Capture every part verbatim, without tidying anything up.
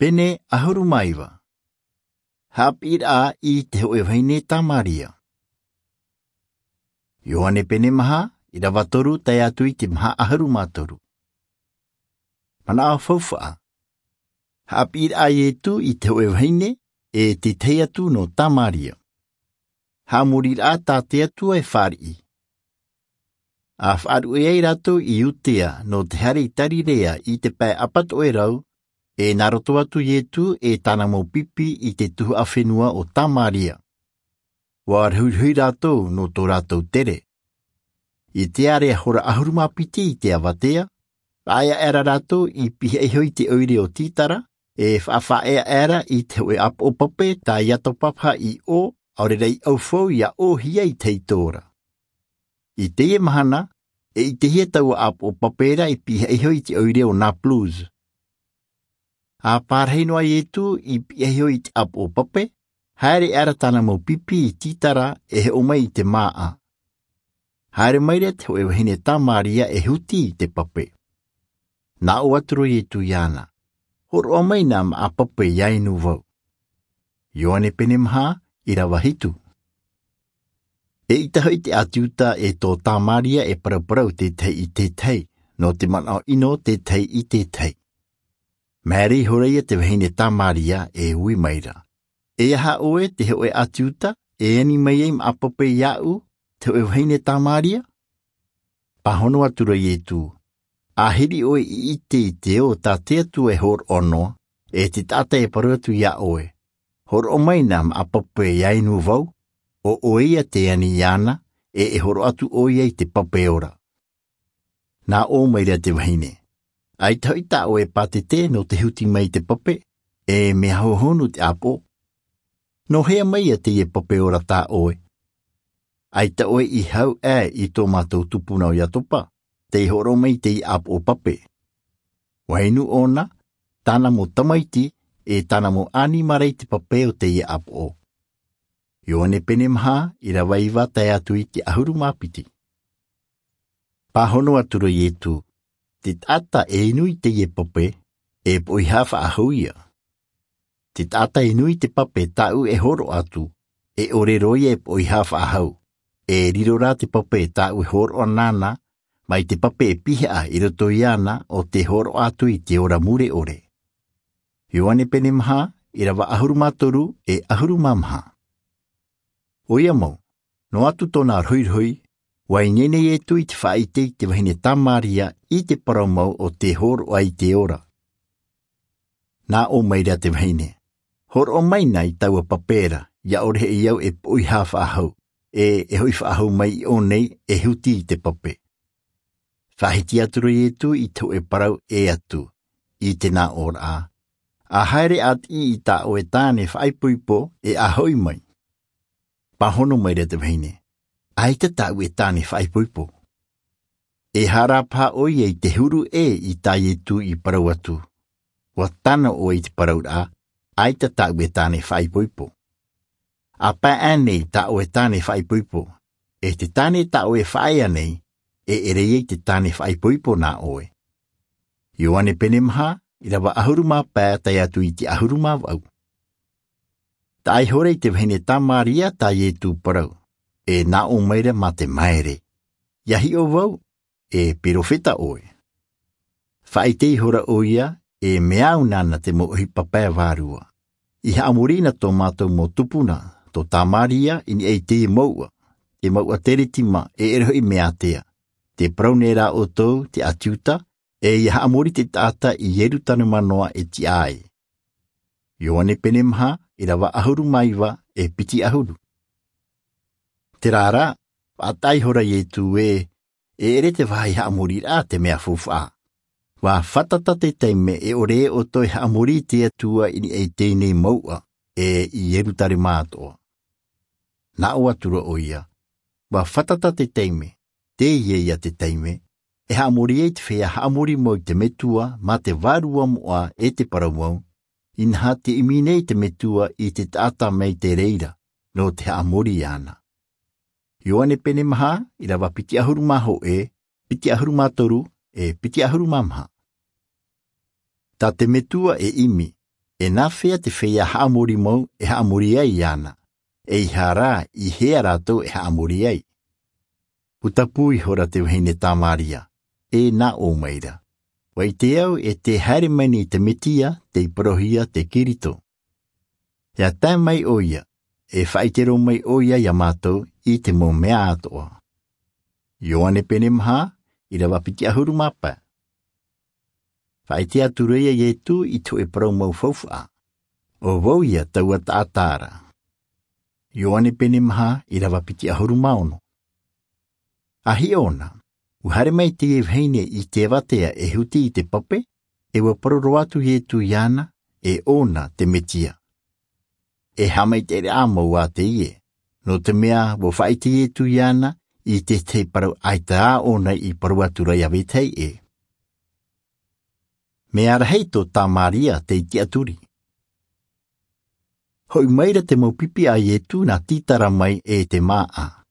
Pene ʻahuru mā iva. Haʻapiʻiraʻa i te hōʻē vahine Tamaria. Ioane pene maha, ʻīrava toru tae atu i te maha ʻahuru mā toru. Manaʻo faufaʻa. Haʻapiʻiraʻa a Ietu i te hōʻē vahine, e te tahi atu nō Tamaria. Haʻamoriraʻa tā te Atua e fāriʻi. ʻA faʻaruʻe ai rātou i Iutea nō te haere i Tarirea i te pae ʻapatoʻerau, e nā roto atu Ietu e tāna mau pipi i te tuhaʻa fenua o Tamaria. ʻUa rohirohi rātou nō tō rātou tere. I te ʻārea hora ʻahuru mā piti i te avatea, faʻaea aʻera rātou i pihaʻi iho i te ʻoire o Titara, e faʻafaʻaea aʻera i te hōʻē ʻāpoʻo pape tā Iatopapaha i ʻō, ʻaore rā i ʻaufau ʻia ʻōhie i te ʻaito ra. I teie mahana, e ʻitehia taua ʻāpoʻo pape ra i pihaʻi iho i te ʻoire o Napulus. ʻA parahi noa Ietu i pihaʻi iho i te ʻāpoʻo pape, haere aʻera tāna mau pipi i Titara e hoʻo mai i te māʻa. Haere maira te hōʻē vahine Tamaria e huti i te pape. Nā ʻō atu ra Ietu iāna, hōroʻa mai nā maʻa pape ʻia inu vau. Ioane pene maha, ʻīrava hitu. E ʻita hoʻi te ʻĀti Iuta e tō Tamaria e paraparau te tahi i te tahi, nō te manaʻo ʻino te tahi i te tahi. Māere ihora ia te vahine Tamaria e ui maira, e aha ʻoe te hōʻē ʻĀti Iuta, e ani mai ai maʻa pape iāʻu, te hōʻē vahine Tamaria? Pāhono atu ra Ietu, ʻa hiri ʻoe i ʻite i te ʻō tā te Atua e hōroʻa noa, e te taʻata e parau atu iā ʻoe, hōroʻa mai nā maʻa pape ʻia inu vau, ʻo ʻoe ia te ani iāna, e e hōroʻa atu ʻoia i te pape ora. Nā ʻō maira te vahine, ʻaita hoʻi tā ʻoe e pātete nō te huti mai i te pape, e mea hohonu te ʻāpoʻo. Nō hea mai ia teie pape ora tā ʻoe? ʻAita ʻoe i hau ʻē i tō mātou tupuna ʻo Iatopa, tei hōroʻa mai i teie ʻāpoʻo pape. ʻUa inu ʻōna, tāna mau tamaiti, e tāna mau ʻanimara i te pape o teie ʻāpoʻo. Ioane pene maha, ʻīrava iva tae atu i te ʻahuru mā piti. Pāhono atu ra Ietu, te taʻata e inu i teie pape, e poʻihā faʻahou ia. Te taʻata e inu i te pape tāʻu e hōroʻa atu, e ʻore roa ia e poʻihā faʻahou, e riro rā te pape tāʻu e hōroʻa nāna, mai te pape e pihaʻa i roto iāna ʻo tē hōroʻa atu i te ora mure ʻore. Ioane pene maha, ʻīrava ʻahuru mā toru e ʻahuru mā maha. ʻOia mau, noa atu tōna rohirohi, ʻua ineine Ietu i te faʻaʻite i te vahine Tamaria i te parau mau o tē hōroʻa i te ora. Nā ʻō maira te vahine, hōroʻa mai nā i taua pape ra, ʻia ʻore hoʻi au e poʻihā faʻahou, e e hoʻi faʻahou mai i ʻō nei e huti i te pape. Faʻahiti atu ra Ietu i te hōʻē parau ʻē atu, i te nā ʻōraʻa, ʻa haere ʻa tiʻi i tā ʻoe tāne faʻaipoipo e ʻa hoʻi mai. Pāhono maira te vahine, ʻaita tāʻu e tāne faʻaipoipo. E haere paha ʻoia i te huru ʻē i tā Ietu i parau atu, ʻua tano ʻoe i te parauraʻa, ʻaita tāʻu e tāne faʻaipoipo. ʻA pae ʻānei tā ʻoe tāne faʻaipoipo, e te tāne tā ʻoe e faʻaea nei, e ʻere ia i te tāne faʻaipoipo nā ʻoe. Ioane pene maha, ʻīrava ʻahuru mā pae tae atu i te ʻahuru mā vaʻu. Taʻa ihora i te vahine Tamaria tā Ietu parau, e nā ʻō maira mā te māere, ʻia hiʻo vau, e perofeta ʻoe. Faʻaʻite ihora ʻoia, e mea au nāna te mau ʻohipa pae vārua. I haʻamori na tō mātou mau tupuna, tō Tamaria i niʻa i teie mouʻa, te mouʻa Teretima e ʻere hoʻi mea ātea. Tē parau nei rā ʻoutou te ʻĀti Iuta, e ʻia haʻamori te taʻata i Ierutarema noa e tiʻa ai. Ioane pene maha, ʻīrava ʻahuru mā iva e piti ʻahuru. Terā rā, faʻataʻa ihora Ietu ē, e ʻere te vāhi haʻamoriraʻa te mea faufaʻa. ʻUa fātata te taime e ʻore ʻoutou e haʻamori i te Atua i niʻa i teie nei mouʻa, e i Ierutarema atoʻa. Nā ʻō atu ra ʻoia, ʻua fātata te taime, teie ia te taime, e haʻamori ai te feiā haʻamori mau i te Metua, mā te Vārua moʻa e te parau mau, inaha tē ʻimi nei te Metua i te taʻata mai te reira, nō te haʻamori iāna. Ioane pene maha, ʻīrava piti ʻahuru mā hōʻē, piti ʻahuru mā toru, e piti ʻahuru mā maha. Tā te Metua e ʻimi, E nāfea te feiā haʻamori mau e haʻamori ai iāna? E i hea rā i hea rātou e haʻamori ai? Putapū ihora te vahine tamaria, e nā ʻō maira, ʻua ʻite au e te haere mai nei te metia, tei parauhia te kirito. E tae mai ʻo ia, e faʻaʻite roa mai ʻo ia iā mātou i te mau mea atoʻa. Ioane pene maha, ʻirava piti ʻahuru mā pae. Faʻaʻite atu ra ia iesu i te hoʻe parau mau faufaʻa, ʻo vau ia taua taʻata ra. Ioane pene maha, ʻirava piti ʻahuru mā ono. A hiʻo na, ʻua haere mai teie vahine i te avatea e huti i te pape, e ʻua parau roa atu iesu iāna, e ʻōna te metia. E haʻamaitaʻiraʻa mau ā teie, nō te mea ʻua faʻaʻite iesu iāna i te tahi parau ʻaita ā ʻōna i parau atu ra iā vetahi ʻē. Mea rahi tō tamaria tei tiʻaturi. Hoʻi maira te mau pipi a iesu nā sitara mai e te māʻa.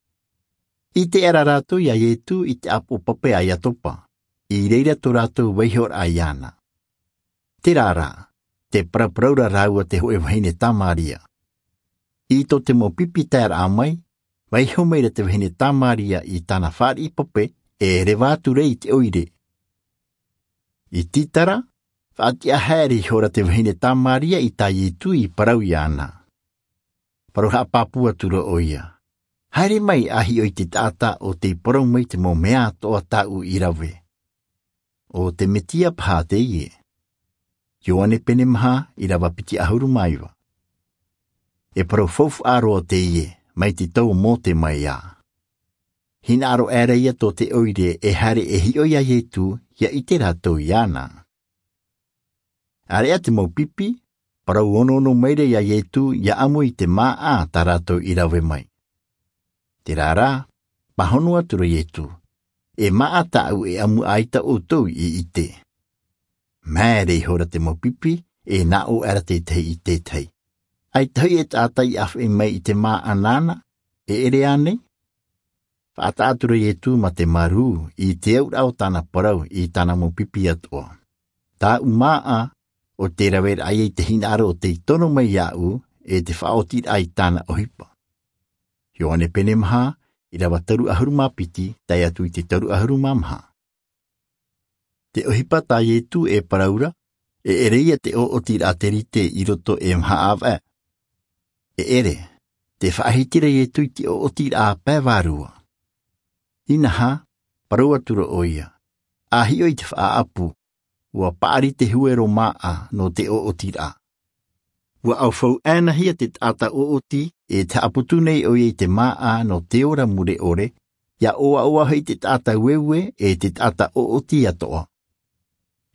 ʻIte aʻera rātou iā iesu i te ʻāpoʻo pape a iakoba, i reira tō rātou vaihoraʻa iāna. Terā rā, te paraparau ra rāua te hoʻe vahine tamaria. I tō te mau pipi taeraʻa mai, vaiho maira te vahine tamaria i tāna fāriʻi pape, e reva atu ra i te ʻoire. I sitara, faʻatiʻa haere ihora te vahine tamaria i tā iesu i parau iāna. Parau haʻapāpū atu ra ʻo ia, haere mai a hiʻo i te taʻata ʻo tei parau mai te mau mea atoʻa tāʻu i rave. ʻO te metia paha teie. Ioane pene maha, ʻirava piti ʻahuru mā iva. E parau faufaʻa roa teie, mai te tau o mose mai ā. Hinaʻaro aʻera ia tō te ʻoire e haere e hiʻo iā iesu, ia ʻite rātou iāna. ʻĀreʻa te mau pipi, parau onoono maira iā iesu ia ʻamu i te māʻa tā rātou i rave mai. Terā rā, pāhono atu ra iesu, e māʻa tāʻu e ʻamu ʻaita ʻoutou i ʻite. Maere ihora te mau pipi, e nā ʻō aʻera te tahi i te tahi, ʻaita hoʻi e taʻata i ʻāfaʻi mai i te māʻa nāna, e ʻere ānei? Faʻataʻa atu ra iesu mā te marū i te auraʻa o tāna parau i tāna mau pipi atoʻa. Tāʻu māʻa, ʻo tē raveraʻa ia i te hinaʻaro ʻo tei tono mai iāʻu, e te faʻaotiraʻa i tāna ʻohipa. Ioane pene maha, ʻirava toru ʻahuru mā piti, tae atu i te toru ʻahuru mā maha. Te ʻohipa tā iesu e parau ra, e ʻere ia te ʻoʻotiraʻa terite i roto e maha ʻāvaʻe. E ʻere, te faʻahiti ra iesu i te ʻoʻotiraʻa pae vārua. Inaha, parau atu ra ʻo ia, a hiʻo i te faʻaʻapu, ʻua paʻari te huero māʻa nō te ʻoʻotiraʻa. ʻUa ʻaufau ʻānahia te taʻata ʻoʻoti, e te haʻaputu nei ʻo ia i te māʻa nō te ora mure ʻore, ia ʻoaʻoa hoʻi te taʻata ueue e te taʻata ʻoʻoti atoʻa.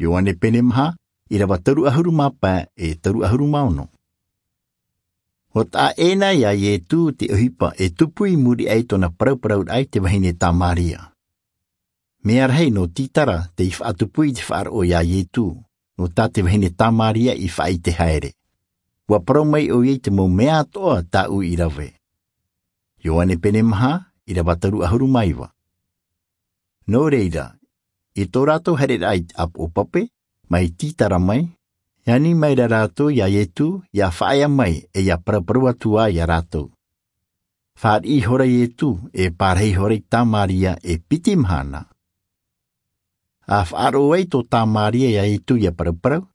Ioane pene maha, ʻirava toru ʻahuru mā pae e toru ʻahuru mā ono. ʻUa taʻa ʻē na iā iesu te ʻohipa e tupu i muri aʻe i tōna parauparauraʻa i te vahine tamaria. Mea rahi nō sitara tei faʻatupu i te faʻaroʻo iā iesu, nō tā te vahine tamaria i faʻaʻite haere. ʻUa parau mai ʻo ia i te mau mea atoʻa tāʻu i rave. Ioane pene maha, ʻirava toru ʻahuru mā iva. Nō reira, i tō rātou haereraʻa i te ʻāpoʻo pape, mai sitara mai, ani maira rātou iā iesu, ia faʻaea mai e ia paraparau atu ā iā rātou. Fāriʻi ihora iesu, e pārahi ihora i tamaria e piti mahana. A faʻaroʻo ai tō tamaria iā iesu ia paraparau,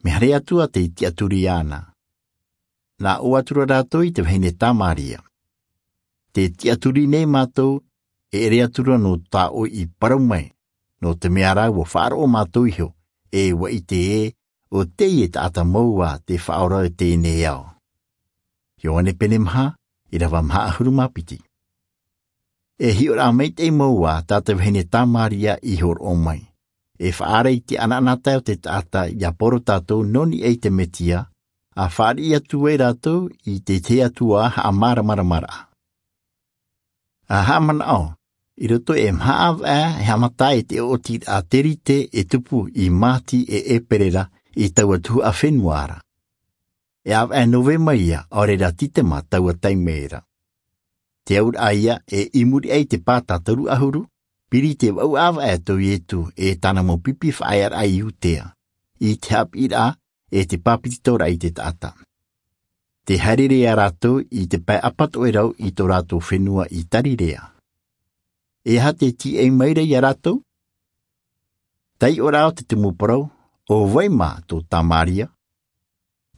mea haere atu ā tei tiʻaturi iāna. Nā ʻō atu ra rātou i te vahine tamaria, te tiʻaturi nei mātou, e ʻere atu ra nō tā ʻoe i parau mai, nō te mea rā ʻua faʻaroʻo mātou iho, e ʻua ʻite ē, ʻo teie taʻata mau ā te faʻaora i teie nei ao. Ioane pene maha, ʻirava maha ʻahuru mā piti. E hiʻoraʻa maitaʻi mau ā tā te vahine tamaria i hōroʻa mai. E faʻaara i te ʻanaʻanatae o te taʻata ia poro tātou nō niʻa i te mesia, a fāriʻi atu ai rātou i te tahi atu ā haʻamāramaramaraʻa. A haʻamanaʻo, i roto e maha ʻāvaʻe e haʻamata ai te ʻoʻotiraʻa terite e tupu i māti e ʻēperēra i taua tuhaʻa fenua ra. E ʻāvaʻe novema ia, ʻaore rā sitema taua taime ra. Te auraʻa ia e i muri aʻe i te pāta toru ʻahuru, piri te vaʻu ʻāvaʻe tō iesu e tāna mau pipi faʻaearaʻa i iudea, i te haʻapiʻiraʻa e te pāpetitoraʻa i te taʻata. Te haereraʻa rātou i te pae apatoʻerau i tō rātou fenua i tarirea. E aha te tīaʻi maira iā rātou? Taiʻoraʻa o te tumu parau, ʻo vai mā tō tamaria?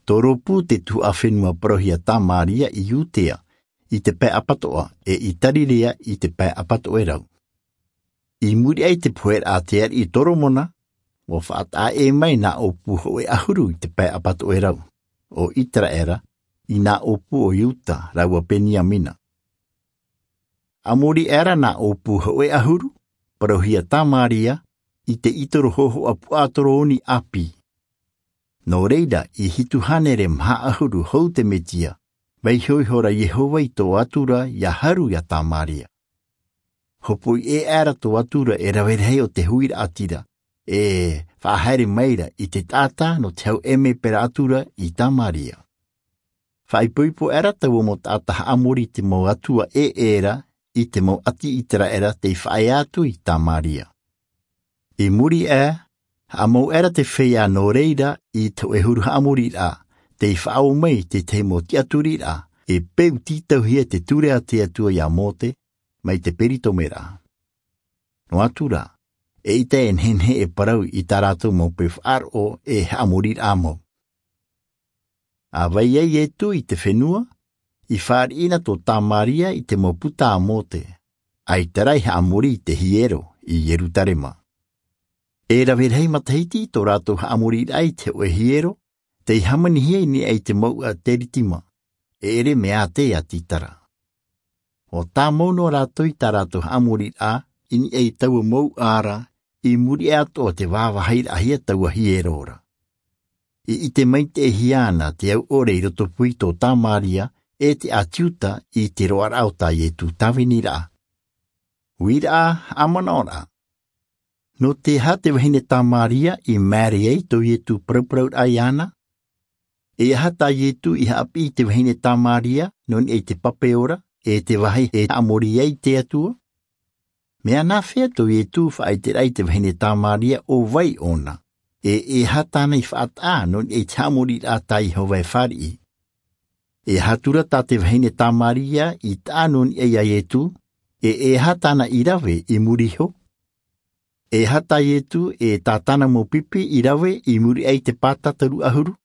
Tō rōpū te tuhaʻa fenua parauhia tamaria i iudea, i te pae apatoʻa e i tarirea i te pae apatoʻerau. I muri aʻe i te pohe raʻa a te ariʻi toromona, ua faʻataʻa ʻē mai nā ʻōpū hoʻe ʻahuru i te pae apatoʻerau, ʻo iteraera, i nā ʻōpū o iuda rāua beniamina. Haʻamori aʻera nā ʻōpū hoʻe ʻahuru parauhia tamaria i te ʻitoro hōhoʻa puʻatoro oni ʻāpī. Nō reira, i hitu hānere maha ʻahuru hou te metia, vaiho ihora iehova i tō atura iā haru iā tamaria. Hopoʻi ʻē aʻera tō atura e rave rahi o te huiraʻatira, e faʻahaere maira i te taʻata nō te hau ʻēmepera atura i tamaria. Faʻaipoipo aʻera taua mau taʻata haʻamori i te mau atua ʻē ʻē ra i te mau ʻati iteraera tei faʻaea atu i tamaria. I muri aʻe, haʻamau aʻera te feiā nō reira i te hoʻe huru haʻamoriraʻa tei faʻaō mai i te tahi mau tiʻaturiraʻa e peu tītauhia te ture a te atua iā mose mai te peritomeraʻa. Noa atu rā, eʻita e nehenehe e parau i tā rātou mau peu faʻaroʻo e haʻamoriraʻa mau. A vai ai iesu i te fenua, i fāriʻi na tō tamaria i te mau puta a mose, ʻaita rā i haʻamori i te hiero i ierusalema. E rave rahi matahiti tō rātou haʻamoriraʻa i te hoʻe hiero tei hāmanihia i niʻa i te mouʻa gerizimu, e ʻere mea ʻātea tītara. Ua tāmau noa rātou i tā rātou haʻamoriraʻa i niʻa i taua mouʻa ra, i muri aʻe atoʻa te vāvāhiraʻahia taua hiero ra. I ʻite maitaʻihia ana te au ʻore i rotopū i tō tamaria e te ʻāti iuda i te roaraʻa o tā iesu tāviniraʻa. Uiraʻa, haʻamanaʻoraʻa, nō te aha te vahine tamaria i maere ai tō iesu parauparauraʻa iāna? E aha tā iesu i haʻapiʻi i te vahine tamaria nō niʻa i te pape ora e te vāhi e haʻamori ai te atua? Mea nāfea tō iesu faʻaiteraʻa i te vahine tamaria ʻo vai ʻōna, e e aha tāna i faʻataʻa nō niʻa i te haʻamoriraʻa tā iehova e fāriʻi? E aha atu rā tā te vahine tamaria i taʻa nō niʻa iā iesu, e e aha tāna i rave i muri iho? E aha tā iesu e tā tāna mau pipi i rave i muri aʻe i te pāta toru ʻahuru?